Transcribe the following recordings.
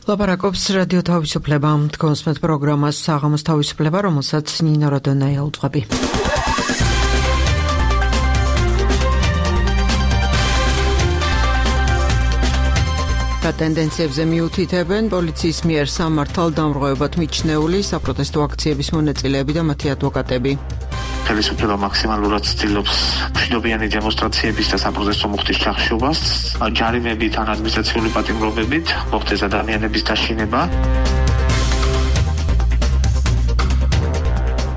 ლაპარაკობს რადიო თავისუფლება, თქვენსმეთ პროგრამას საღამოს თავისუფლება, რომელსაც ნინო როდონაია უძღვები. ტენდენციებზე მიუთითებენ პოლიციის მიერ სამართალ დამრღვევებად მიჩნეული საპროტესტო აქციების მონაწილეები და მათი ადვოკატები. Ხელისუფლება მაქსიმალურად ცდილობს მშვიდობიანი დემონსტრაციების და საპროტესტო მუხტის ჩახშობას, ჯარიმებით ან ადმინისტრაციული პატიმრობებით მოხდეს ადამიანების დაშინება.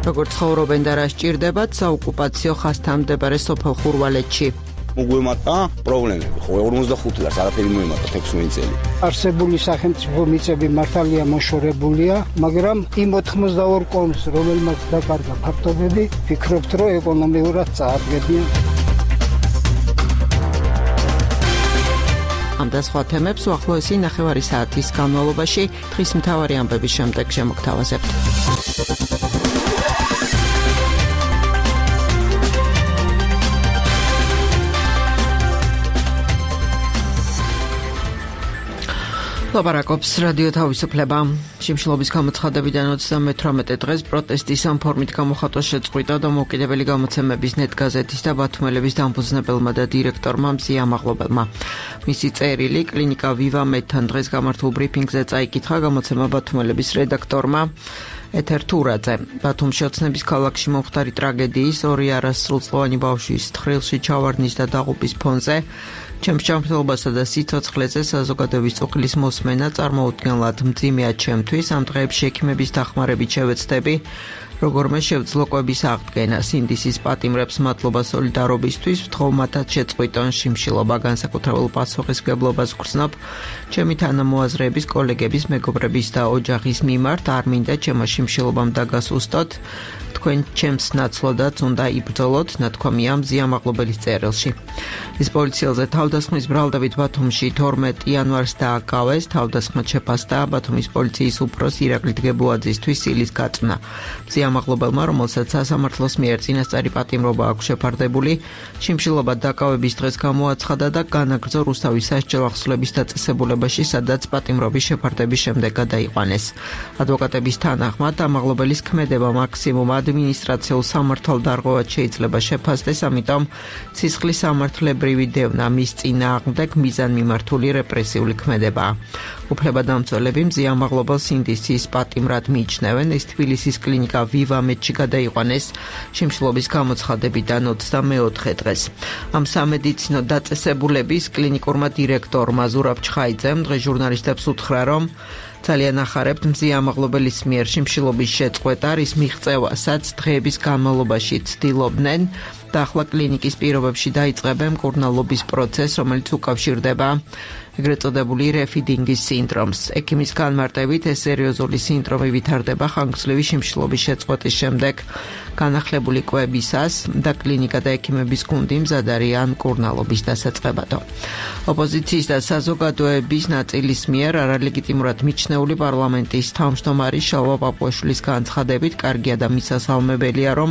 როგორც ცხოვრობენ და რა სჭირდებათ საოკუპაციო ხაზთან მდებარე სოფელ ხურვალეთში. მოგვემატა პრობლემები, ხო 45 წელს არაფერი მოემატა 16 წელი. არსებული სახელმწიფო მიწები მართალია მოშორებულია, მაგრამ იმ 82 კონს, რომელმაც დაკარგა ფაქტობები, ფიქრობთ, რომ ეკონომიურად წააგებიან. ამ და სხვა თემებს უახლოესი ნახევარი საათის განმავლობაში დღის მთავარი ამბების შემდეგ შემოგთავაზებთ. ლაპარაკობს რადიო თავისუფლება. შიმშილობის გამოცხადებიდან 38 დღეს პროტესტის ამ ფორმით გამოხატვა შეწყვიტა დამოუკიდებელი გამოცემების ნეტგაზეთის და ბათუმელების დამფუძნებელმა და დირექტორმა მზია მაღლობელმა. მისი წერილი კლინიკა ვივა მედთან დღეს გამართულ ბრიფინგზე წაიკითხა გამოცემა ბათუმელების რედაქტორმა ეთერ თურაძე. ბათუმში ოცნების ქალაქში მომხდარი ტრაგედიის 2 არასრულწლოვანი ბავშვის თხრილში ჩავარდნის და დაღუპვის ფონზე ჩემს ჯანმრთელობასა და სიცოცხლეზე საზოგადოების წუხლის მოსმენა წარმოუდგენლად მძიმეა ჩემთვის. ამ დღეებში ექიმების დახმარებით შევეცდები როგორმე შევძლო კვების აღდგენა. სინდისის პატიმრებს მადლობა სოლიდარობისთვის, ვთხოვ მათაც შეწყვიტონ შიმშილობა, განსაკუთრებულ პასუხისმგებლობას ვგრძნობ ჩემი თანამოაზრეების, კოლეგების, მეგობრების და ოჯახის მიმართ. არ მინდა ჩემო შიმშილობამ დაგასუსტოთ. თქვენ ჩემს ნაცვლოდაც უნდა იბრძოლოთ, ნათქვამია მზია მაღლობელის წერილში. ის პოლიციელზე თავდასხმის ბრალდებით ბათუმში 12 იანვარს დააკავეს. თავდასხმად შეფასდა ბათუმის პოლიციის უფროს ირაკლი დგებუაძისთვის სილის გაწვნა. მზია მაღლობელმა, რომელსაც სასამართლოს მიერ წინასწარი პატიმრობა აქვს შეფარდებული, შიმშილობა დაკავების დღეს გამოაცხადა და განაგრძო რუსთავის სასჯელ ახსნების დაწესებულებაში, სადაც პატიმრობის შეფარდების შემდეგ გადაიყვანეს. ადვოკატების თანახმად ამაღლობელის ქმედება მაქსიმუმ ადმინისტრაციულ სამართალდარღვევად შეიძლება შეფასდეს, ამიტომ სისხლის სამართლებრივი დევნა მის წინააღმდეგ მიზანმიმართული რეპრესიული ქმედებაა. უფლებადამცველები მზია მაღლობელს სინდისის პატიმრად მიიჩნევენ. ის თბილისის კლინიკა ვივა მედში გადაიყვანეს შიმშილობის გამოცხადებიდან 24 დღეს. ამ სამედიცინო დაწესებულების კლინიკურმა დირექტორმა ზურაბ ჩხაიძემ დღეს ჟურნალისტებს უთხრა, რომ ძალიან ახარებთ მზია მაღლობელის მიერ შიმშილობის შეწყვეტა, რის მიღწევასაც დღეების განმავლობაში ცდილობდნენ და ახლა კლინიკის პირობებში დაიწყებენ მკურნალობის პროცესს, რომელიც უკავშირდება ეგრეთ წოდებული რეფიდინგის სინდრომს. ექიმის განმარტებით ეს სერიოზული სინდრომი ვითარდება ხანგრძლივი შიმშილობის შეწყვეტის შემდეგ განახლებული კვებისას და კლინიკა და ექიმების გუნდი მზად არიან მკურნალობის დასაწყებადო. ოპოზიციის და საზოგადოების ნაწილის მიერ არალეგიტიმურად მიჩნეული პარლამენტის თავმჯდომარის შალვა პაპუაშვილის განცხადებით კარგია და მისასალმებელია, რომ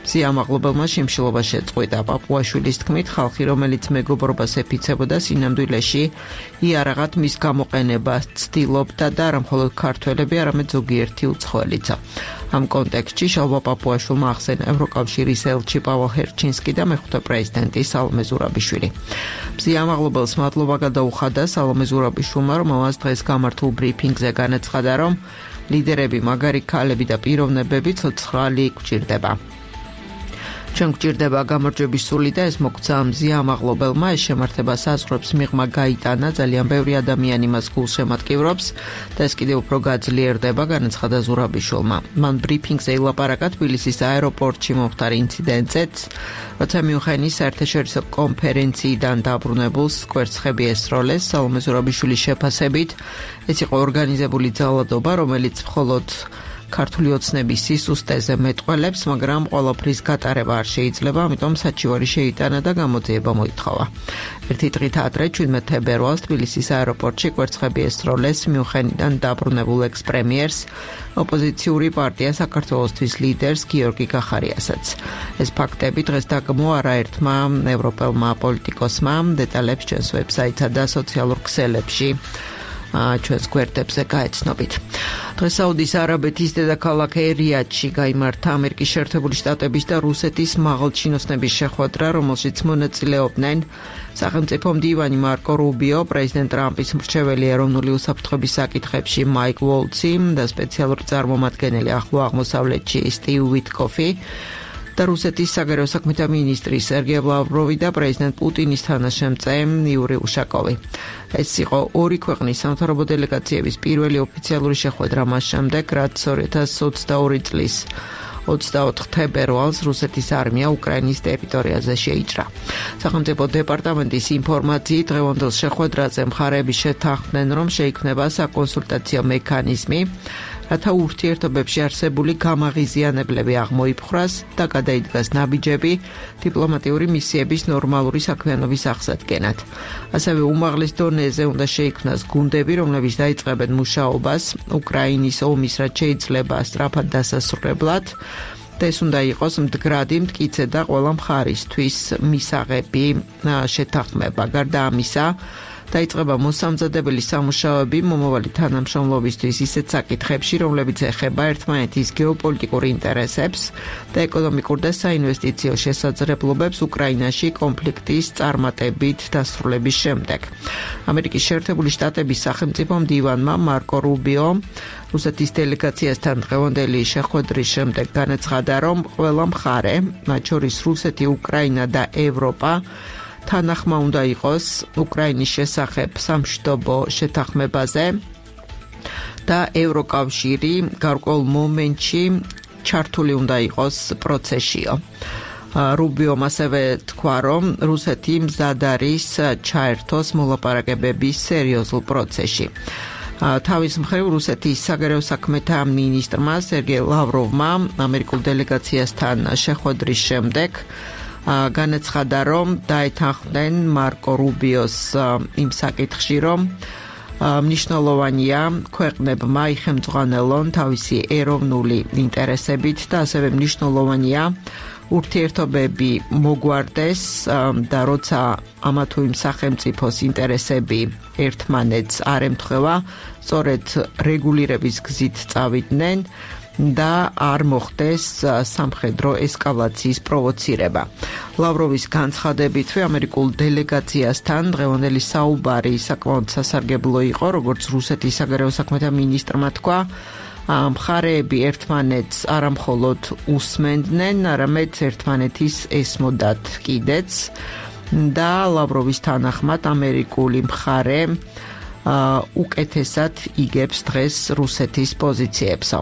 მზია მაღლობელმა შიმშილობა შეწყვიტა. პაპუაშვილის თქმით, ხალხი, რომელიც მეგობრობას ეფიცებოდა სინამდვილეში იარაღად მის გამოყენებას ცდილობდა და არა მხოლოდ ქართველები, არამედ ზოგიერთი უცხოელიცა. ამ კონტექსტში შალვა პაპუაშვილმა ახსენა ევროკავშირის ელჩი პავალ ჰერჩინსკი და მეხუთე პრეზიდენტი სალომე ზურაბიშვილი. მზია მაღლობელს მადლობა გადაუხადა სალომე ზურაბიშვილმა, რომელმაც დღეს გამართულ ბრიფინგზე განაცხადა, რომ ლიდერები, მაგარი ქალები და პიროვნებები ცოცხალი გვჭირდება. ჩვენ გვჭირდება გამარჯვების სული და ეს მოგცა მზია მაღლობელმა. ეს შემართება საზღვრებს მიღმა გაიტანა, ძალიან ბევრი ადამიანი მას გულს შემატკივრობს და ეს კიდევ უფრო გაძლიერდება, განაცხადა ზურაბიშვილმა. მან ბრიფინგზე ილაპარაკა თბილისის აეროპორტში მომხდარ ინციდენტზეც, როცა მიუნხენის საერთაშორისო კონფერენციიდან დაბრუნებულს კვერცხები ესროლეს. სალომე ზურაბიშვილის შეფასებით ეს იყო ორგანიზებული ძალადობა, რომელიც მხოლოდ ქართული ოცნების სისუსტეზე მეტყველებს, მაგრამ ყველაფრის გატარება არ შეიძლება, ამიტომ საჩივარი შეიტანა და გამოძიება მოითხოვა. ერთი დღით ადრე 17 თებერვალს თბილისის აეროპორტში კვერცხები ესროლეს მიუნხენიდან დაბრუნებულ ექს-პრემიერს, ოპოზიციური პარტია საქართველოსთვის ლიდერს გიორგი კახარიასაც. ეს ფაქტები დღეს დაგმო არაერთმა ევროპელმა პოლიტიკოსმა, დეტალებს ჩვენს ვებსაიტსა და სოციალურ ქსელებში ჩვენს გვერდებზე გაეცნობით. დღეს საუდის არაბეთის დედაქალაქ რიადში გაიმართა ამერიკის შეერთებული შტატების და რუსეთის მაღალჩინოსნების შეხვედრა, რომელშიც მონაწილეობდნენ სახელმწიფო მდივანი მარკო რუბიო, პრეზიდენტ ტრამპის მრჩეველი ეროვნული უსაფრთხოების საკითხებში მაიკ ვოლცი და სპეციალური წარმომადგენელი ახლო აღმოსავლეთში სტივ ვიტკოფი და რუსეთის საგარეო საქმეთა მინისტრი სერგეი ლავროვი და პრეზიდენტ პუტინის თანაშემწე იური უშაკოვი. ეს იყო ორი ქვეყნის სამთავრობო დელეგაციების პირველი ოფიციალური შეხვედრა მას შემდეგ, რაც 2022 წლის 24 თებერვალს რუსეთის არმია უკრაინის ტერიტორიაზე შეიჭრა. სახელმწიფო დეპარტამენტის ინფორმაციით, დღევანდელ შეხვედრაზე მხარეები შეთანხმდნენ, რომ შეიქმნება საკონსულტაციო მექანიზმი, რათა ურთიერთობებში არსებული გამაღიზიანებლები აღმოიფხვრას და გადაიდგას ნაბიჯები დიპლომატიური მისიების ნორმალური საქმიანობის აღსადგენად. ასევე უმაღლეს დონეზე უნდა შეიქმნას გუნდები, რომლებიც დაიწყებენ მუშაობას უკრაინის ომის, რაც შეიძლება სწრაფად დასასრულებლად და ეს უნდა იყოს მდგრადი, მტკიცე და ყველა მხარისთვის მისაღები შეთანხმება. გარდა ამისა, დაიწყება მოსამზადებელი სამუშაოები მომავალი თანამშრომლობისთვის ისეთ საკითხებში, რომლებიც ეხება ერთმანეთის გეოპოლიტიკურ ინტერესებს და ეკონომიკურ და საინვესტიციო შესაძლებლობებს უკრაინაში კონფლიქტის წარმატებით დასრულების შემდეგ. ამერიკის შეერთებული შტატების სახელმწიფო მდივანმა მარკო რუბიო რუსეთის დელეგაციასთან დღევანდელი შეხვედრის შემდეგ განაცხადა, რომ ყველა მხარე, მათ შორის რუსეთი, უკრაინა და ევროპა, თანახმა უნდა იყოს უკრაინის შესახებ სამშვიდობო შეთანხმებაზე და ევროკავშირი გარკვეულ მომენტში ჩართული უნდა იყოს პროცესშიო. რუბიომ ასევე თქვა, რომ რუსეთი მზად არის ჩაერთოს მოლაპარაკებების სერიოზულ პროცესში. თავის მხრივ რუსეთის საგარეო საქმეთა მინისტრმა სერგეი ლავროვმა ამერიკულ დელეგაციასთან შეხვედრის შემდეგ განაცხადა, რომ დაეთანხმდნენ მარკო რუბიოს იმ საკითხში, რომ მნიშვნელოვანია ქვეყნებმა იხელმძღვანელონ თავისი ეროვნული ინტერესებით და ასევე მნიშვნელოვანია ურთიერთობები მოგვარდეს და როცა ამა თუ იმ სახელმწიფოს ინტერესები ერთმანეთს არ ემთხვევა, სწორედ რეგულირების გზით წავიდნენ და არ მოხდეს სამხედრო ესკალაციის პროვოცირება. ლავროვის განცხადებითვე ამერიკულ დელეგაციასთან დღევანდელი საუბარი საკმაოდ სასარგებლო იყო, როგორც რუსეთის საგარეო საქმეთა მინისტრმა თქვა, მხარეები ერთმანეთს არამხოლოდ უსმენდნენ, არამედ ერთმანეთის ესმოდათ კიდეც და ლავროვის თანახმად ამერიკული მხარე უკეთესად იგებს დღეს რუსეთის პოზიციებსო.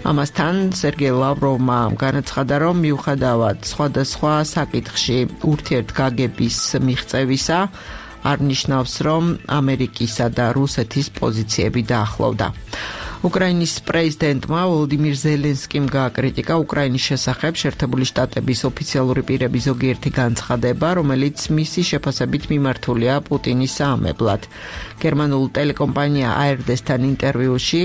ამასთან სერგეი ლავროვმა განაცხადა, რომ მიუხედავად სხვადასხვა საკითხში ურთიერთგაგების მიღწევისა, არ ნიშნავს, რომ ამერიკისა და რუსეთის პოზიციები დაახლოვდა. უკრაინის პრეზიდენტმა ვოლოდიმირ ზელენსკიმ გააკრიტიკა უკრაინის შესახებ შეერთებული შტატების ოფიციალური პირების ზოგიერთი განცხადება, რომელიც მისი შეფასებით მიმართულია პუტინის საამებლად. გერმანულ ტელეკომპანია ARD-სთან ინტერვიუში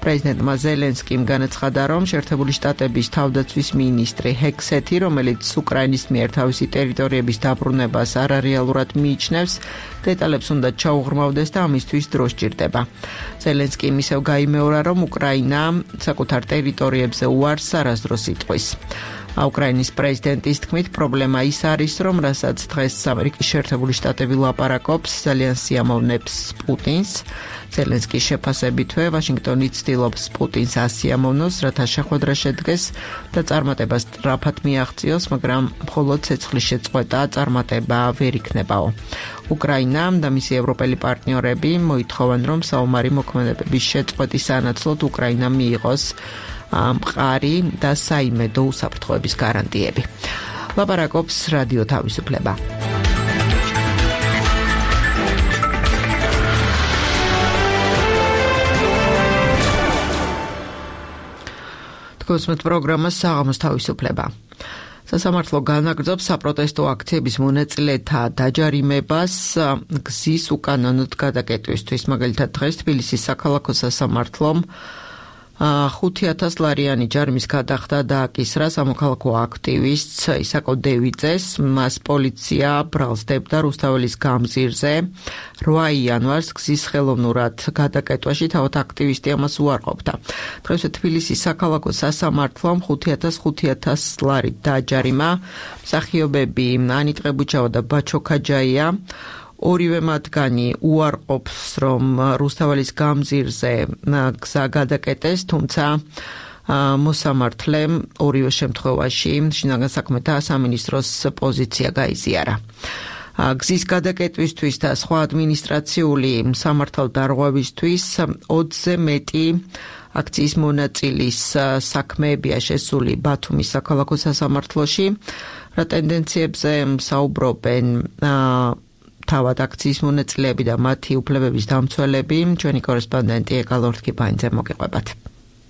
პრეზიდენტმა ზელენსკიმ განაცხადა, რომ შეერთებული შტატების თავდაცვის მინისტრი ჰექსეთი, რომელიც უკრაინის მიერ თავისი ტერიტორიების დაბრუნებას არარეალურად მიიჩნევს, დეტალებს უნდა ჩაუღრმავდეს და ამისთვის დრო სჭირდება. ზელენსკიმ ისევ გაიმეორა, რომ უკრაინა საკუთარ ტერიტორიებზე უარს არასდროს იტყვის. უკრაინის პრეზიდენტის თქმით, პრობლემა ის არის, რომ რასაც დღეს ამერიკის შეერთებული შტატები ლაპარაკობს, ძალიან სიამოვნებს პუტინს. ზელენსკის შეფასებითვე, ვაშინგტონი ცდილობს პუტინს ასიამოვნოს, რათა შეხვედრა შედგეს და წარმატებას სწრაფად მიაღწიოს, მაგრამ მხოლოდ ცეცხლის შეწყვეტა წარმატება ვერ იქნებაო. უკრაინა და მისი ევროპელი პარტნიორები მოითხოვენ, რომ საომარი მოქმედებების შეწყვეტის სანაცვლოდ უკრაინამ მიიღოს მყარი და საიმედო უსაფრთხოების გარანტიები. ლაპარაკობს რადიო თავისუფლება. თქოსმეთ პროგრამას საღამოს თავისუფლება. სასამართლო განაგრძობს საპროტესტო აქციების მონაწილეთა დაჯარიმებას გზის უკანონოდ გადაკეტვისთვის. მაგალითად დღეს თბილისის საქალაქო სასამართლომ 5,000 ლარიანი ჯარიმის გადახდა დააკისრა სამოქალაქო აქტივისტს ისაკო დევიძეს. მას პოლიცია ბრალსდებდა რუსთაველის გამზირზე 8 იანვარს გზის ხელოვნურად გადაკეტვაში, თავად აქტივისტი ამას უარყოფდა. დღესვე თბილისის საქალაქო სასამართლომ 5,000 ლარით დააჯარიმა მსახიობები ანიტ ყებუჩავა და ბაჩო ქაჯაია. ორივე მათგანი უარყოფს, რომ რუსთაველის გამზირზე გზა გადაკეტეს, თუმცა მოსამართლემ ორივე შემთხვევაში შინაგან საქმეთა სამინისტროს პოზიცია გაიზიარა. გზის გადაკეტვისთვის და სხვა ადმინისტრაციული სამართალდარღვევისთვის 20-ზე მეტი აქციის მონაწილის საქმეებია შესული ბათუმის საქალაქო სასამართლოში. რა ტენდენციებზე საუბრობენ თავად აქციის მონაწილეები და მათი უფლებების დამცველები, ჩვენი კორესპონდენტი ეკალორთკიბაინძე მოგიყვებათ.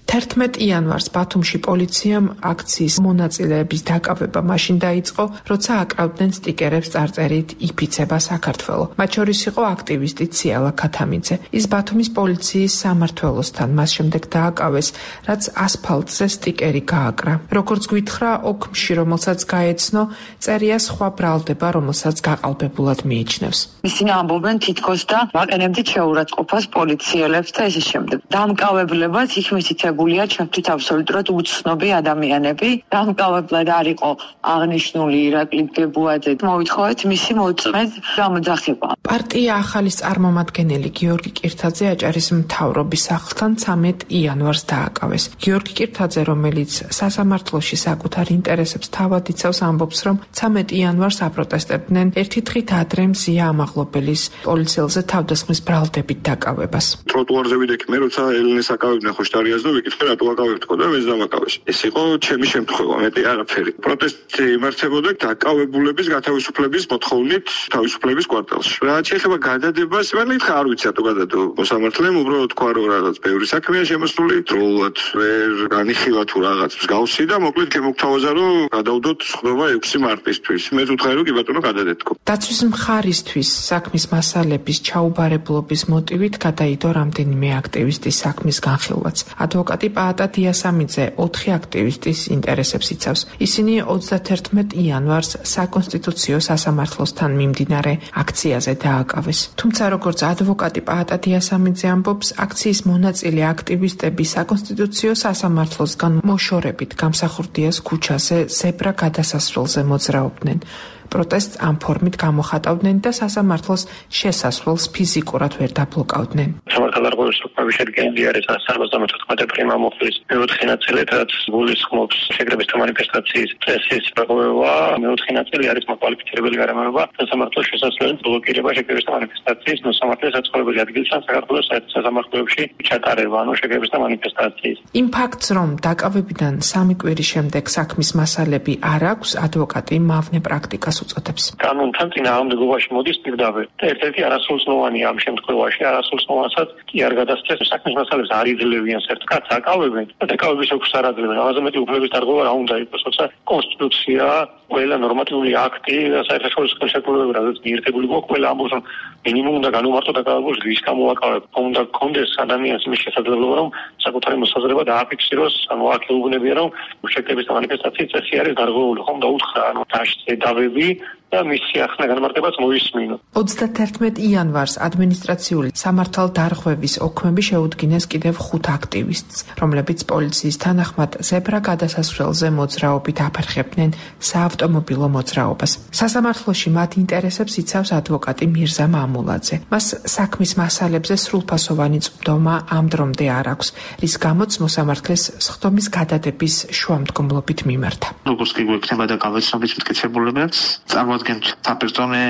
11 იანვარს ბათუმში პოლიციამ აქციის მონაწილეების დაკავება მაშინ დაიწყო, როცა აკრავდნენ სტიკერებს წარწერით „იფიცება საქართველო“. მათ შორის იყო აქტივისტი ციალა ქათამიძე. ის ბათუმის პოლიციის სამმართველოსთან მას შემდეგ დააკავეს, რაც ასფალტზე სტიკერი გააკრა. როგორც გვითხრა, ოქმში, რომელსაც გაეცნო, წერია სხვა ბრალდება, რომელსაც გაყალბებულად მიიჩნევს. ისინი ამბობენ თითქოს და ვაყენებდით შეურაცხყოფას პოლიციელებს და ესე შემდეგ. დამკავებლებად იქ მითითებულია ჩემთვის აბსოლუტურად უცნობი ადამიანები. დამკავებლად არ იყო აღნიშნული ირაკლი გებუაძე. მოვითხოვეთ მისი მოწმედ გამოძახება. პარტია ახალის წარმომადგენელი გიორგი კირთაძე აჭარის მთავრობის სახლთან 13 იანვარს დააკავეს. გიორგი კირთაძე, რომელიც სასამართლოში საკუთარ ინტერესებს თავად იცავს, ამბობს, რომ 13 იანვარს აპროტესტებდნენ ერთი დღით ადრე მზია ამაღლობელის პოლიციელზე თავდასხმის ბრალდებით დაკავებას. ტროტუარზე ვიდექი მე, როცა ელენეს აკავებდნენ ხოშტარიას და ვიკითხე რატო აკავებთქო და მეც დამაკავეს. ეს იყო ჩემი შემთხვევა, მეტი არაფერი. პროტესტი იმართებოდა დაკავებულების გათავისუფლების მოთხოვნით თავისუფლების კვარტალში. რაც შეიძლება გადადებას, მე მითხრა არ ვიცი რატო გადადო მოსამართლემ, უბრალოდ თქვა რომ რაღაც ბევრი საქმეა შემოსული, დროულად ვერ განიხილა თუ რაღაც მსგავსი და მოკლედ გემოგთავაზა რომ გადავდოთ სხდომა 6 მარტისთვის. მე ვუთხარი რომ კი ბატონო გადადეთქო. დაცვის მხარისთვის საქმის მასალების ჩაუბარებლობის მოტივით გადაიდო რამდენიმე აქტივისტის საქმის განხილვაც. ადვოკატი პაატა დიასამიძე 4 აქტივისტის ინტერესებს იცავს. ისინი 31 იანვარს საკონსტიტუციო სასამართლოსთან მიმდინარე აქციაზე დააკავეს. თუმცა როგორც ადვოკატი პაატა დიასამიძე ამბობს, აქციის მონაწილე აქტივისტები საკონსტიტუციო სასამართლოსგან მოშორებით გამსახურდიას ქუჩაზე ზებრა გადასასვლელზე მოძრაობდნენ. პროტესტს ამ ფორმით გამოხატავდნენ და სასამართლოს შესასვლელს ფიზიკურად ვერ დაბლოკავდნენ. სამართალდარღვევის საკუთრების შედგენილი არის 174 პრიმა მოხლის მეოთხე ნაწილი, რაც გულისხმობს შეკრების და მანიფესტაციის წესის პრობლემა. მეოთხე ნაწილი არის მოკვალიფიცირებელი გარემოება სასამართლოს შესასვლელის ბლოკირება შეკრების და მანიფესტაციის მოსამართლეს საცხოვრებელი ადგილსა საქართველოს სასამართლოებში ჩატარება, ანუ შეკრების და მანიფესტაციის. იმ ფაქტს, რომ დაკავებიდან 3 კვირის შემდეგ საქმის მასალები არ აქვს, ადვოკატი მავნე პრაქტიკას უწოდებს. კანონთან წინააღმდეგობაში მოდის პირდაპირ და ერთ-ერთი არასრულწლოვანია ამ შემთხვევაში, არასრულწლოვანსაც კი არ გადასცეს საქმის მასალებს არ იძლევიან ერთ კაცს აკავებენ და დაკავების ოქს არ აძლევენ. ამაზე მეტი უფლების დარღვევა რა უნდა იყოს, როცა კონსტიტუცია, ყველა ნორმატიული აქტი და საერთაშორისო ხელშეკრულებები, რაც მიერთებული გვაქვს, ყველა ამბობს, რომ მინიმუმ უნდა განუმარტო დაკავებულს რის გამოაკავებ. უნდა გქონდეს ადამიანს იმის შესაძლებლობა, რომ საკუთარი მოსაზრება დააფიქსიროს, ანუ აქ ეუბნებია, რომ შეკრების და მანიფესტაციის წესი არის დარღვეული, ხომ და უთხრა, ანუ დაშწე დავები და მისი ახლა განმარტებაც მოისმინო. 31 იანვარს ადმინისტრაციული სამართალდარღვევის ოქმები შეუდგინეს კიდევ 5 აქტივისტს, რომლებიც პოლიციის თანახმად ზებრა გადასასვლელზე მოძრაობით აფერხებდნენ საავტომობილო მოძრაობას. სასამართლოში მათ ინტერესებს იცავს ადვოკატი მირზა მამულაძე. მას საქმის მასალებზე სრულფასოვანი წვდომა ამ დრომდე არ აქვს, რის გამოც მოსამართლეს სხდომის გადადების შუამდგომლობით მიმართა. როგორც კი გვექნება დაკავებების მტკიცებულებებს, წარმოადგენთ საპერსონე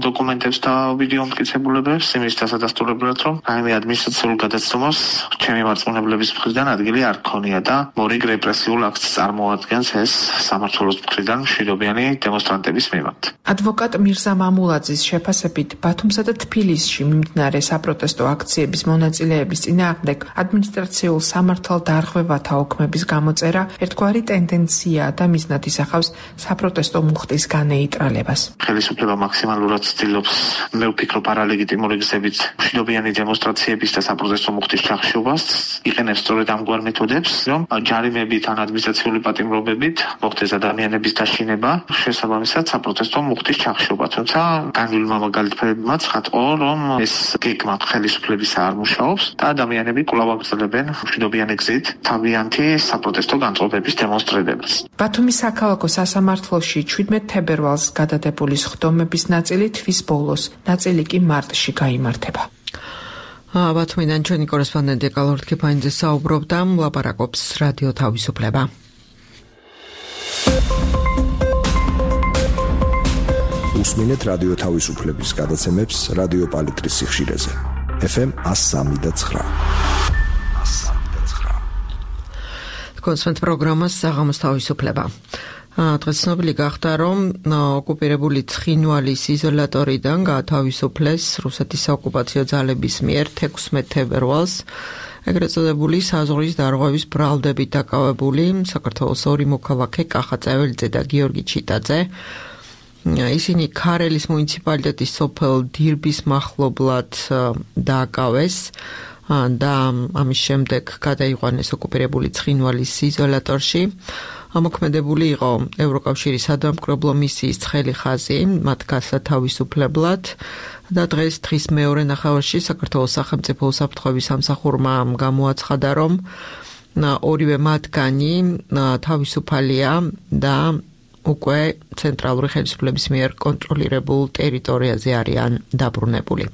დოკუმენტებს და ვიდეო მტკიცებულებებს იმის დასადასტურებლად, რომ რაიმე ადმინისტრაციულ გადაცემას ჩემი მარწმუნებლების მხრიდან ადგილი არ ქონია და მორიგ რეპრესიულ აქტს წარმოადგენს ეს სამართლოს მხრიდან მშვიდობიანი დემონსტრანტების მიმართ. ადვოკატ მირზა მამულაძის შეფასებით, ბათუმსა და თბილისში მიმდინარე საპროტესტო აქციების მონაწილეების წინააღმდეგ ადმინისტრაციულ სამართალდარღვევათა ოქმების გამოწერა ერთგვარი ტენდენციაა და მიზნად ისახავს საპროტესტო მუხტის განეიტრალებას. ხელისუფლება მაქსიმალურად ცდილობს, მე ვფიქრობ, არალეგიტიმური გზებით მშვიდობიანი დემონსტრაციების და საპროტესტო მუხტის ჩახშობას, იყენებს სწორედ ამგვარ მეთოდებს, რომ ჯარიმებით ან ადმინისტრაციული პატიმრობებით მოხდეს ადამიანების დაშინება, შესაბამისად საპროტესტო მუხტის ჩახშობა. თუმცა განვლილმა მაგალითებმა ცხადყო, რომ ეს გეგმა ხელისუფლების არ მუშაობს და ადამიანები კვლავ აგრძელებენ მშვიდობიანი გზით თავიანთი საპროტესტო განწყობების დემონსტრირებას. ბათუმის საქალაქო სასამართლოში 17 თებერვალს გადადებული სხდომების ნაწილი თვის ბოლოს, ნაწილი კი მარტში გაიმართება. ბათუმიდან ჩვენი კორესპონდენტი კალორდ ქიფაინძე საუბრობდა, ლაპარაკობს რადიო თავისუფლება. უსმინეთ რადიო თავისუფლების გადაცემებს რადიო პალიტრის სიხშირეზე. FM 103.9. კონსპენთ პროგრამას საღამოს თავისუფლება. დღეს ცნობილი გახდა, რომ ოკუპირებული ცხინვალის იზოლატორიდან გაათავისუფლეს რუსეთის საოკუპაციო ძალების მიერ 16 თებერვალს ეგრეთ წოდებული საზღვრის დარღვევის ბრალდებით დაკავებული საქართველოს ორი მოქალაქე კახა წეველიძე და გიორგი ჩიტაძე. ისინი ქარელის მუნიციპალიტეტის სოფელ დირბის მახლობლად დააკავეს და ამის შემდეგ გადაიყვანეს ოკუპირებული ცხინვალის იზოლატორში. ამოქმედებული იყო ევროკავშირის სადამკვირვებლო მისიის ცხელი ხაზი მათ გასათავისუფლებლად და დღეს თხის მეორე ნახევარში საქართველოს სახელმწიფო უსაფრთხოების სამსახურმა გამოაცხადა, რომ ორივე მათგანი თავისუფალია და უკვე ცენტრალური ხელისუფლების მიერ კონტროლირებულ ტერიტორიაზე არიან დაბრუნებული.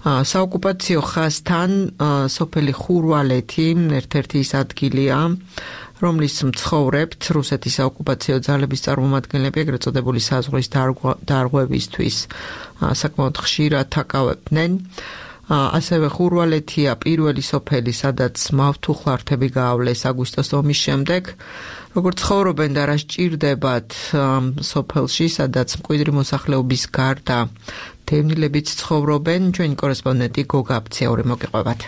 საოკუპაციო ხაზთან სოფელი ხურვალეთი ერთ-ერთი ის ადგილია, რომლის მცხოვრებთ რუსეთის საოკუპაციო ძალების წარმომადგენლები ეგრეთ წოდებული საზღვრის დარღვევისთვის საკმაოდ ხშირად აკავებდნენ. ასევე ხურვალეთია პირველი სოფელი, სადაც მავთუხლართები გაავლეს აგვისტოს ომის შემდეგ. როგორც ცხოვრობენ და რა სჭირდებათ სოფელში, სადაც მკვიდრი მოსახლეობის გარდა დევნილებიც ცხოვრობენ, ჩვენი კორესპონდენტი გოგა აფციური მოგიყვებათ.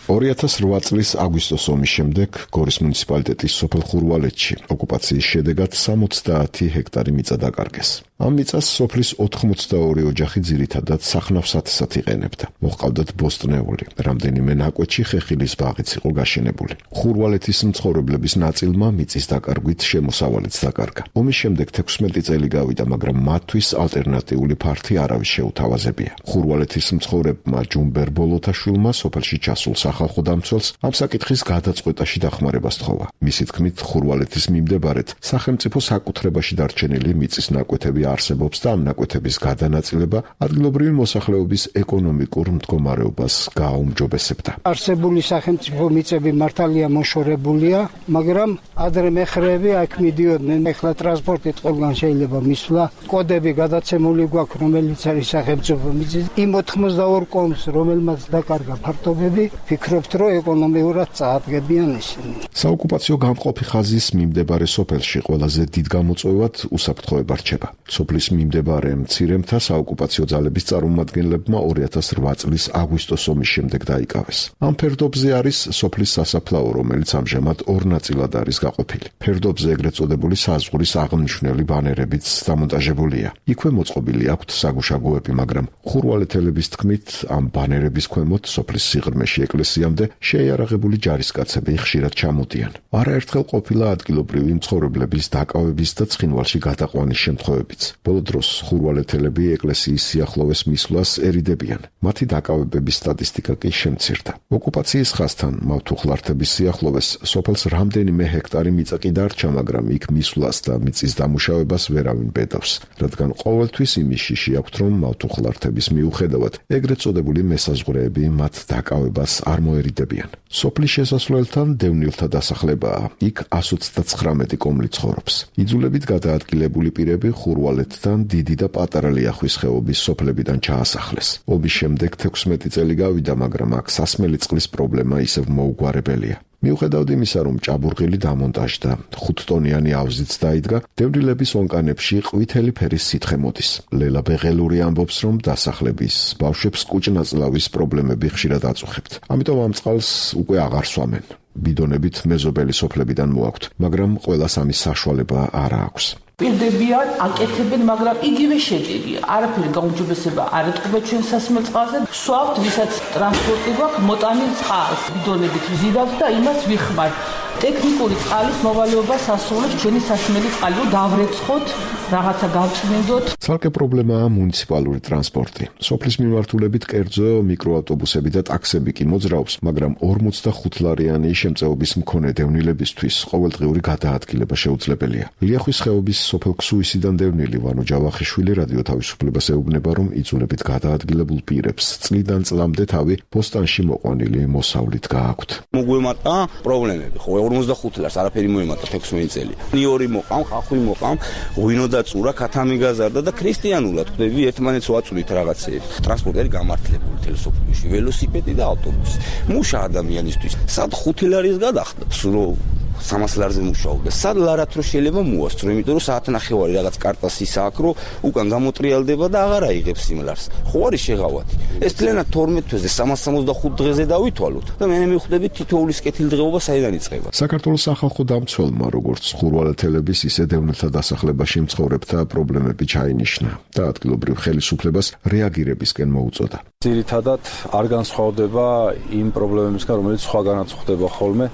2008 წლის აგვისტოს ომის შემდეგ გორის მუნიციპალიტეტის სოფელ ხურვალეთში ოკუპაციის შედეგად 60 ჰექტარი მიწა დაკარგეს. ამ მიწას სოფლის 82 ოჯახი ძირითადად სახნავ-სათესად იყენებდა. მოჰყავდათ ბოსტნეული, რამდენიმე ნაკვეთში ხეხილის ბაღიც იყო გაშენებული. ხურვალეთის მცხოვრებლების ნაწილმა მიწის დაკარგვით შემოსავალიც დაკარგა. ომის შემდეგ 16 წელი გავიდა, მაგრამ მათთვის ალტერნატიული ფართი არავის შეუთავაზებია. ხურვალეთის მცხოვრებმა ჯუმბერ ბოლოთაშვილმა სოფელში ჩასულ სახალხო დამცველს ამ საკითხის გადაწყვეტაში დახმარება სთხოვა. მისი თქმით, ხურვალეთის მიმდებარედ სახელმწიფო საკუთრებაში დარჩენილი მიწის ნაკვეთები არსებობს და ამ ნაკვეთების გადანაწილება ადგილობრივი მოსახლეობის ეკონომიკურ მდგომარეობას გააუმჯობესებდა. არსებული სახელმწიფო მიწები მართალია მოშორებულია, მაგრამ ადრე მეხრეები აქ მიდიოდნენ. ეხლა ტრანსპორტით ყველგან შეიძლება მისვლა. კოდები გადაცემული გვაქვს, რომელიც არის სახელმწიფო მიწის. იმ 82 კომს, რომელმაც დაკარგა ფართობები, ფიქრობთ, რომ ეკონომიურად წაადგებიან ისინი. საოკუპაციო გამყოფი ხაზის მიმდებარე სოფელში ყველაზე დიდ გამოწვევად უსაფრთხოება რჩება. სოფლის მიმდებარე მცირემთა საოკუპაციო ძალების წარმომადგენლებმა 2008 წლის აგვისტოს ომის შემდეგ დაიკავეს. ამ ფერდობზე არის სოფლის სასაფლაო, რომელიც ამჟამად ორ ნაწილად არის გაყოფილი. ფერდობზე ეგრეთ წოდებული საზღვრის აღნიშნული ბანერებიც დამონტაჟებულია. იქვე მოწყობილი აქვთ საგუშაგოები, მაგრამ ხურვალეთელების თქმით, ამ ბანერების ქვემოთ სოფლის სიღრმეში ეკლესიამდე შეიარაღებული ჯარისკაცები ხშირად ჩამოდიან. არაერთხელ ყოფილა ადგილობრივი მცხოვრებლების დაკავების და ცხინვალში გადაყვანის შემთხვევებიც. ბოლო დროს ხურვალეთელები ეკლესიის სიახლოვეს მისვლას ერიდებიან. მათი დაკავებების სტატისტიკა კი შემცირდა. ოკუპაციის ხაზთან მავთუხლართების სიახლოვეს სოფელს რამდენიმე ჰექტარი მიწა კი დარჩა, მაგრამ იქ მისვლას და მიწის დამუშავებას ვერავინ ბედავს, რადგან ყოველთვის იმის შიში აქვთ, რომ მავთუხლართების მიუხედავად ეგრეთ წოდებული მესაზღვრეები მათ დაკავებას არ მოერიდებიან. სოფლის შესასვლელთან დევნილთა დასახლებაა. იქ 129 კომლი ცხოვრობს. იძულებით გადაადგილებული პირები ხურვალეთთან დიდი და პატარა ლიახვის ხეობის სოფლებიდან ჩაასახლეს. ომის შემდეგ 16 წელი გავიდა, მაგრამ აქ სასმელი წყლის პრობლემა ისევ მოუგვარებელია. მიუხედავად იმისა, რომ ჭაბურღილი დამონტაჟდა, 5 ტონიანი ავზიც დაიდგა, დევნილების ონკანებში ყვითელი ფერის სითხე მოდის. ლელა ბეღელური ამბობს, რომ დასახლების ბავშვებს კუჭნაწლავის პრობლემები ხშირად აწუხებთ. ამიტომ ამ წყალს უკვე აღარ სვამენ. ბიდონებით მეზობელი სოფლებიდან მოაქვთ, მაგრამ ყველას ამის საშუალება არ აქვს. პირდებიან, აკეთებენ, მაგრამ იგივე შეჭირია. არაფერი გაუმჯობესება არ ეთყობა ჩვენ სასმელ წყალზე. სვავთ, ვისაც ტრანსპორტი გვაქვს, მოტანილ წყალს ბიდონებით ვზივავთ და იმას ვიხმართ. ტექნიკური წყალის მოვალეობას ასრულებს ჩვენი სასმელი წყალი, რომ დავრეცხოთ, რაღაცა გავწმინდოთ. ცალკე პრობლემაა მუნიციპალური ტრანსპორტი. სოფლის მიმართულებით კერძო მიკროავტობუსები და ტაქსები კი მოძრაობს, მაგრამ 45 ლარიანი შემწეობის მქონე დევნილებისთვის ყოველდღიური გადაადგილება შეუძლებელია. ლიახვის ხეობის სოფელ ქსუისიდან დევნილი ვანო ჯავახიშვილი რადიო თავისუფლებას ეუბნება, რომ იძულებით გადაადგილებულ პირებს წლიდან წლამდე თავი პოსტანში მოყვანილი მოსავლით გააქვთ. მოგვემატა პრობლემები, ხო 45 ლარს არაფერი მოემატა 16 წელი. ნიორი მოყამ, ხახვი მოყამ, ღვინო და წურა ქათამი გაზარდა და ქრისტიანულად ხვდები ერთმანეთს ვაწვდით რაღაცეებს. ტრანსპორტი არის გამართლებული თელესოფლში, ველოსიპედი და ავტობუსი. მუშა ადამიანისთვის. სად 5 ლარის გადახდებს, რომ 300 ლარზე მუშაობდა. სად ლარად რო შეიძლება მოასწრო, იმიტომ რომ საათნახევარი რაღაც კარტასის აქ რო უკან გამოტრიალდება და აღარ აიღებს იმ ლარს. ხო არის შეღავათი. ეს თლენა 12 თვეზე 365 დღეზე დავითვალოთ და მე მივხვდები თითოეულის კეთილდღეობა საიდან იწყება. საქართველოს სახალხო დამცველმა როგორც ხურვალეთელების, ისე დევნილთა დასახლებაში მცხოვრებთა პრობლემები ჩაინიშნა და ადგილობრივ ხელისუფლებას რეაგირებისკენ მოუწოდა. ძირითადად არ განსხვავდება იმ პრობლემებისგან, რომელიც სხვაგანაც ხდება ხოლმე,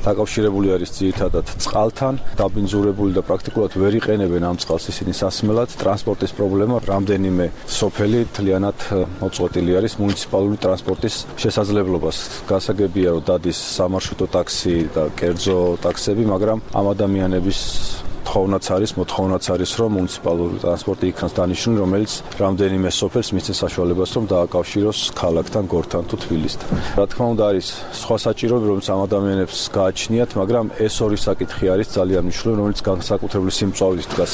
დაკავშირებული არის ძირითადად წყალთან, დაბინძურებული და პრაქტიკულად ვერ იყენებენ ამ წყალს ისინი სასმელად. ტრანსპორტის პრობლემა, რამდენიმე სოფელი თლიანად მოწყვეტილი არის მუნიციპალური ტრანსპორტის შესაძლებლობას. გასაგებია, რომ დადის სამარშრუტო ტაქსი და კერძო ტაქსები, მაგრამ ამ ადამიანების მოთხოვნაც არის, რომ მუნიციპალური ტრანსპორტი იქნას დანიშნული, რომელიც რამდენიმე სოფელს მისცეს საშუალებას, რომ დააკავშიროს ქალაქთან, გორთან თუ თბილისთან. რა თქმა უნდა, არის სხვა საჭიროები, რომელიც ამ ადამიანებს გააჩნიათ, მაგრამ ეს ორი საკითხი არის ძალიან მნიშვნელოვანი, რომელიც განსაკუთრებული სიმწვავით დგას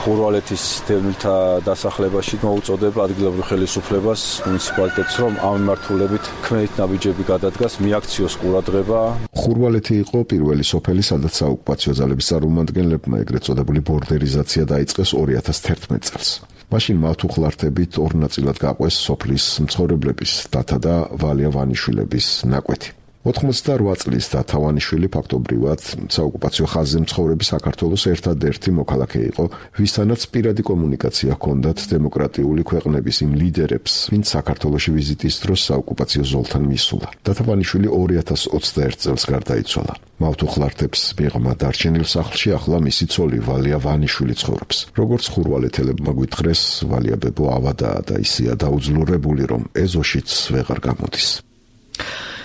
ხურვალეთის დევნილთა დასახლებაში. მოუწოდება ადგილობრივ ხელისუფლებას, მუნიციპალიტეტს, რომ ამ მიმართულებით ქმედით ნაბიჯები გადადგას, მიაქციოს ყურადღება. ხურვალეთი იყო პირველი სოფელი, სადაც საოკუპაციო ძალების წარმომადგენლებმა ეგრეთ წოდებული ბორდერიზაცია დაიწყეს 2011 წელს. მაშინ მათ უხლართებით ორ ნაწილად გაყვეს სოფლის მცხოვრებლების დათა და ვალია ვანიშვილების ნაკვეთი. 88 წლის დათა ვანიშვილი ფაქტობრივად საოკუპაციო ხაზზე მცხოვრები საქართველოს ერთადერთი მოქალაქე იყო, ვისთანაც პირადი კომუნიკაცია ჰქონდათ დემოკრატიული ქვეყნების იმ ლიდერებს, ვინც საქართველოში ვიზიტის დროს საოკუპაციო ზოლთან მისულა. დათა ვანიშვილი 2021 წელს გარდაიცვალა. მავთუხლართებს მიღმა დარჩენილ სახლში ახლა მისი ცოლი ვალია ვანიშვილი ცხოვრობს. როგორც ხურვალეთელებმა გვითხრეს, ვალია ბებო ავადაა და ისეა დაუძლურებული, რომ ეზოშიც ვეღარ გამოდის.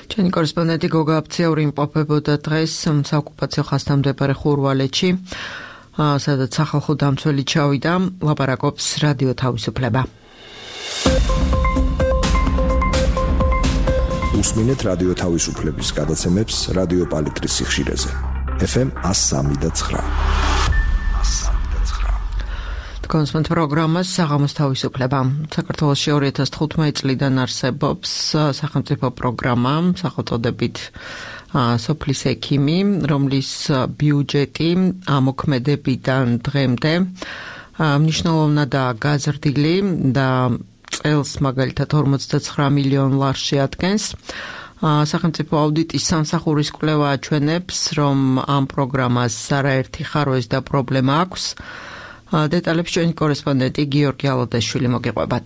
ჩვენი კორესპონდენტი გოგა აფციაური იმყოფებოდა დღეს საოკუპაციო ხაზთან მდებარე ხურვალეთში, სადაც სახალხო დამცველი ჩავიდა, ლაპარაკობს რადიო თავისუფლება. უსმინეთ რადიო თავისუფლების გადაცემებს რადიო პალიტრის სიხშირეზე. FM 103.9. კონსპონდენტ პროგრამას საღამოს თავისუფლება. საქართველოში 2015 წლიდან არსებობს სახელმწიფო პროგრამა სახელწოდებით სოფლის ექიმი, რომლის ბიუჯეტი ამოქმედებიდან დღემდე მნიშვნელოვნადაა გაზრდილი და წელს მაგალითად 49 მილიონ ლარს შეადგენს. სახელმწიფო აუდიტის სამსახურის კვლევა აჩვენებს, რომ ამ პროგრამას არაერთი ხარვეს და პრობლემა აქვს. დეტალებს ჩვენი კორესპონდენტი გიორგი ალოდაშვილი მოგიყვებათ.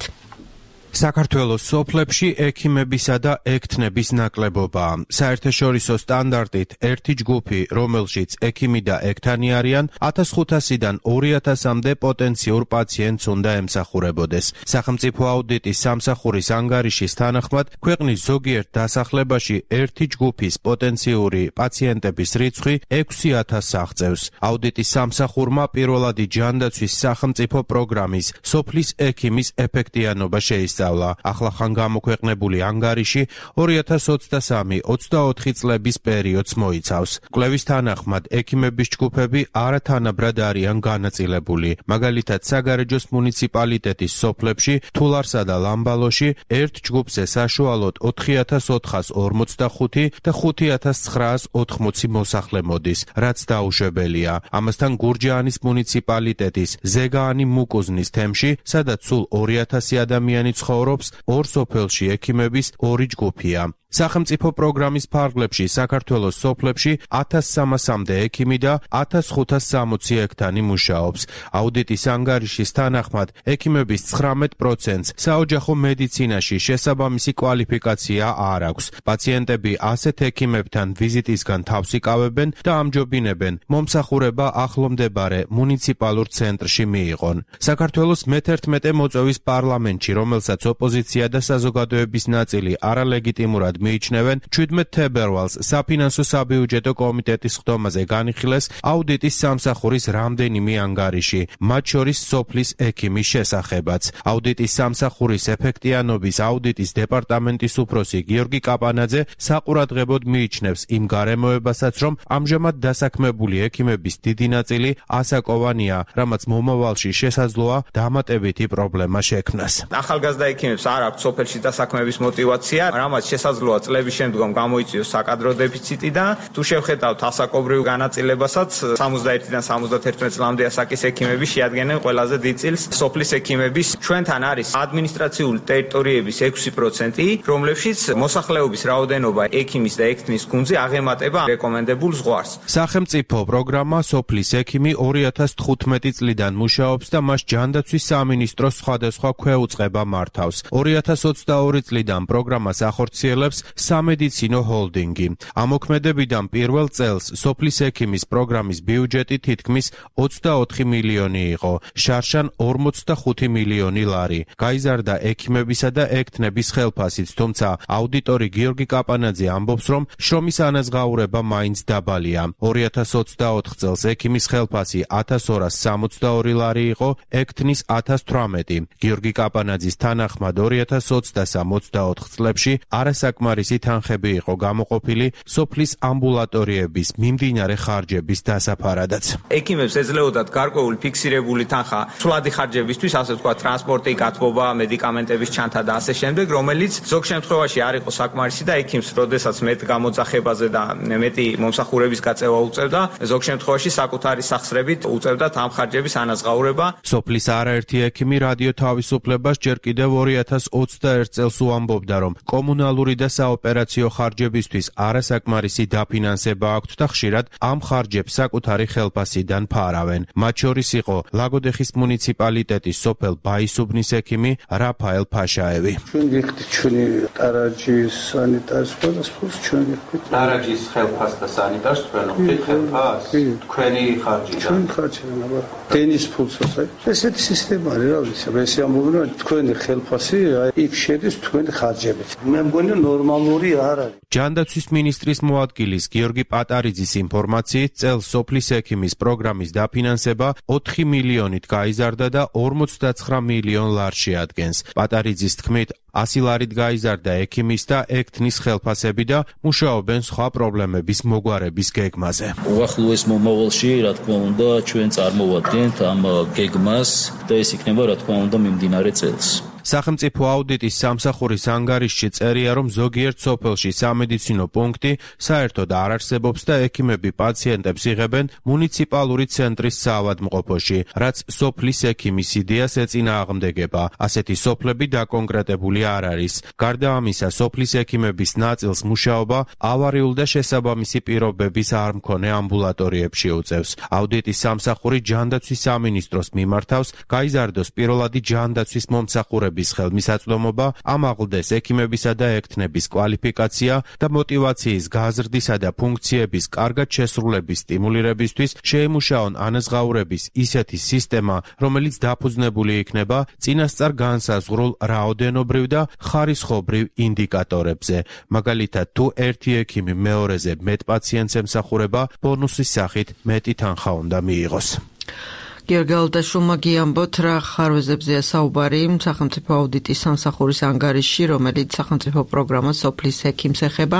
საქართველოს სოფლებში ექიმებისა და ექთნების ნაკლებობაა. საერთაშორისო სტანდარტით ერთი ჯგუფი, რომელშიც ექიმი და ექთანი არიან, 1500-დან 2000-მდე პოტენციურ პაციენტს უნდა ემსახურებოდეს. სახელმწიფო აუდიტის სამსახურის ანგარიშის თანახმად, ქვეყნის ზოგიერთ დასახლებაში ერთი ჯგუფის პოტენციური პაციენტების რიცხვი 6000-ს აღწევს. აუდიტის სამსახურმა პირველადი ჯანდაცვის სახელმწიფო პროგრამის სოფლის ექიმის ეფექტიანობა შეისწავლა. ახლახან გამოქვეყნებული ანგარიში 2023-24 წლების პერიოდს მოიცავს. კვლევის თანახმად, ექიმების ჯგუფები არათანაბრად არიან განაწილებული. მაგალითად, საგარეჯოს მუნიციპალიტეტის სოფლებში, თულარსა და ლამბალოში ერთ ჯგუფზე საშუალოდ 4445 და 5980 მოსახლე მოდის, რაც დაუშვებელია. ამასთან გურჯაანის მუნიციპალიტეტის ზეგაანი მუკუზნის თემში, სადაც სულ 2000 ადამიანი ცხოვრობს ორ სოფელში ექიმების ორი ჯგუფია. სახელმწიფო პროგრამის ფარგლებში საქართველოს სოფლებში 1300-მდე ექიმი და 1560 ექთანი მუშაობს. აუდიტის ანგარიშის თანახმად ექიმების 19%-ს საოჯახო მედიცინაში შესაბამისი კვალიფიკაცია არ აქვს. პაციენტები ასეთ ექიმებთან ვიზიტისგან თავს იკავებენ და ამჯობინებენ მომსახურება ახლომდებარე მუნიციპალურ ცენტრში მიიღონ. საქართველოს მე-11 მოწვევის პარლამენტში, რომელსაც ოპოზიცია და საზოგადოების ნაწილი არალეგიტიმურად მიიჩნევენ, 17 თებერვალს საფინანსო საბიუჯეტო კომიტეტის ხდომაზე განიხილეს აუდიტის სამსახურის რამდენიმე ანგარიში, მათ შორის სოფლის ექიმის შესახებაც. აუდიტის სამსახურის ეფექტიანობის აუდიტის დეპარტამენტის უფროსი გიორგი კაპანაძე საყურადღებოდ მიიჩნევს იმ გარემოებასაც, რომ ამჟამად დასაქმებული ექიმების დიდი ნაწილი ასაკოვანია, რამაც მომავალში შესაძლოა დამატებითი პრობლემა შექმნას. ახალგაზრდა ექიმებს არ აქვს სოფელში დასაქმების мотиваცია, რამაც შესაძლოა წლების შემდგომ გამოიწვიოს საკადრო დეფიციტი და თუ შევხედავთ ასაკობრივ განაწილებასაც 61-დან 71 წლამდე ასაკის ექიმები შეადგენენ ყველაზე დიდ წილს სოფლის ექიმების. ჩვენთან არის ადმინისტრაციული ტერიტორიების 6%, რომლებშიც მოსახლეობის რაოდენობა ექიმის და ექთნის გუნდზე აღემატება რეკომენდებულ ზღვარს. სახელმწიფო პროგრამა სოფლის ექიმი 2015 წლიდან მუშაობს და მას ჯანდაცვის სამინისტროს სხვადასხვა ქვეუწყება მართავს. 2022 წლიდან პროგრამას ახორციელებს სამედიცინო ჰოლდინგი. ამოქმედებიდან პირველ წელს სოფლის ექიმის პროგრამის ბიუჯეტი თითქმის 24 მილიონი იყო, შარშან 45 მილიონი ლარი. გაიზარდა ექიმებისა და ექთნების ხელფასიც, თუმცა აუდიტორი გიორგი კაპანაძე ამბობს, რომ შრომის ანაზღაურება მაინც დაბალია. 2024 წელს ექიმის ხელფასი 1262 ლარი იყო, ექთნის 1018. გიორგი კაპანაძის თანახმად 2023-24 წლებში არასაკმარისი თანხები იყო გამოყოფილი სოფლის ამბულატორიების მიმდინარე ხარჯების დასაფარადაც. ექიმებს ეძლეოდათ გარკვეული ფიქსირებული თანხა სვლადი ხარჯებისთვის, ასე ვთქვათ, ტრანსპორტი, გათბობა, მედიკამენტების ჩანთა და ასე შემდეგ, რომელიც ზოგ შემთხვევაში არ იყო საკმარისი და ექიმს, როდესაც მეტ გამოძახებაზე და მეტი მომსახურების გაწევა უწევდა, ზოგ შემთხვევაში საკუთარი სახსრებით უწევდა ამ ხარჯების ანაზღაურება. სოფლის არაერთი ექიმი რადიო თავისუფლებას ჯერ კიდევ 2021 წელს უამბობდა, რომ კომუნალური და საოპერაციო ხარჯებისთვის არასაკმარისი დაფინანსება აქვთ და ხშირად ამ ხარჯებს საკუთარი ხელფასიდან ფარავენ. მათ შორის იყო ლაგოდეხის მუნიციპალიტეტის სოფელ ბაისუბნის ექიმი რაფაელ ფაშაევი. ჩვენ ვიხდით ჩვენი ტარაჯის სანიტარს და სფულს ჩვენ ვიხდით. ტარაჯის ხელფას და სანიტარს თქვენ ვიხდით ხელფას? თქვენი ხარჯი და ჩვენ ხარჯი აბა დენის ფულსაც აი ესეთი სისტემა არის რა ვიცი ეს ამბობენ რომ თქვენი ხელფასი იქ შედის თქვენი ხარჯებით. მე მგონი ნორმალური არ არის. ჯანდაცვის მინისტრის მოადგილის გიორგი პატარიძის ინფორმაციით წელს სოფლის ექიმის პროგრამის დაფინანსება 4 მილიონით გაიზარდა და 59 მილიონ ლარს შეადგენს. პატარიძის თქმით 100 ლარით გაიზარდა ექიმის და ექთნის ხელფასები და მუშაობენ სხვა პრობლემების მოგვარების გეგმაზე. უახლოეს მომავალში, რა თქმა უნდა, ჩვენ წარმოვადგენთ ამ გეგმას და ეს იქნება, რა თქმა უნდა, მიმდინარე წელს. სახელმწიფო აუდიტის სამსახურის ანგარიშში წერია, რომ ზოგიერთ სოფელში სამედიცინო პუნქტი საერთოდ არ არსებობს და ექიმები პაციენტებს იღებენ მუნიციპალური ცენტრის საავადმყოფოში, რაც სოფლის ექიმის იდეას ეწინააღმდეგება. ასეთი სოფლები დაკონკრეტებული არ არის. გარდა ამისა, სოფლის ექიმების ნაწილს მუშაობა ავარიულ და შესაბამისი პირობების არ მქონე ამბულატორიებში უწევს. აუდიტის სამსახური ჯანდაცვის სამინისტროს მიმართავს, გაიზარდოს პირველადი ჯანდაცვის მომსახურების ხელმისაწვდომობა, ამაღლდეს ექიმებისა და ექთნების კვალიფიკაცია და мотиваციის გაზრდისა და ფუნქციების კარგად შესრულების სტიმულირებისთვის შეიმუშაონ ანაზღაურების ისეთი სისტემა, რომელიც დაფუძნებული იქნება წინასწარ განსაზღვრულ რაოდენობრივ და ხარისხობრივ ინდიკატორებზე. მაგალითად, თუ ერთი ექიმი მეორეზე მეტ პაციენტს ემსახურება, ბონუსის სახით მეტი თანხა უნდა მიიღოს. გიორგი ალდაშულმა გიამბოთ, რა ხარვეზებზეა საუბარი სახელმწიფო აუდიტის სამსახურის ანგარიშში, რომელიც სახელმწიფო პროგრამა სოფლის ექიმს ეხება.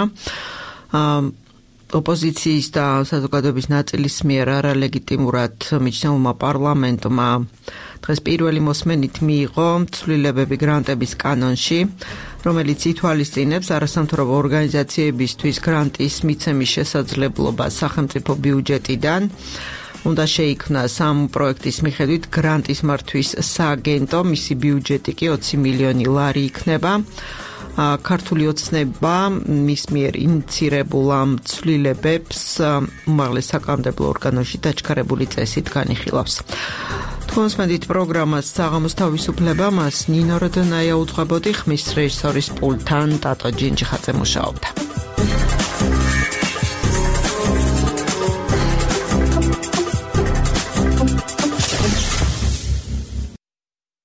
ოპოზიციის და საზოგადოების ნაწილის მიერ არალეგიტიმურად მიჩნეულმა პარლამენტმა დღეს პირველი მოსმენით მიიღო ცვლილებები გრანტების კანონში, რომელიც ითვალისწინებს არასამთავრობო ორგანიზაციებისთვის გრანტის მიცემის შესაძლებლობას სახელმწიფო ბიუჯეტიდან. უნდა შეიქმნას ამ პროექტის მიხედვით გრანტის მართვის სააგენტო, მისი ბიუჯეტი კი 20 მილიონი ლარი იქნება. ქართული ოცნება მის მიერ ინიცირებულ ამ ცვლილებებს უმაღლეს საკანონმდებლო ორგანოში დაჩქარებული წესით განიხილავს. კონსმედით პროგრამას საღამოს თავისუფლება მას ნინო როდონაია უძღვებოდი, ხმის რეჟისორის პულტთან ტატო ჯინჯიხაძე მუშაობდა.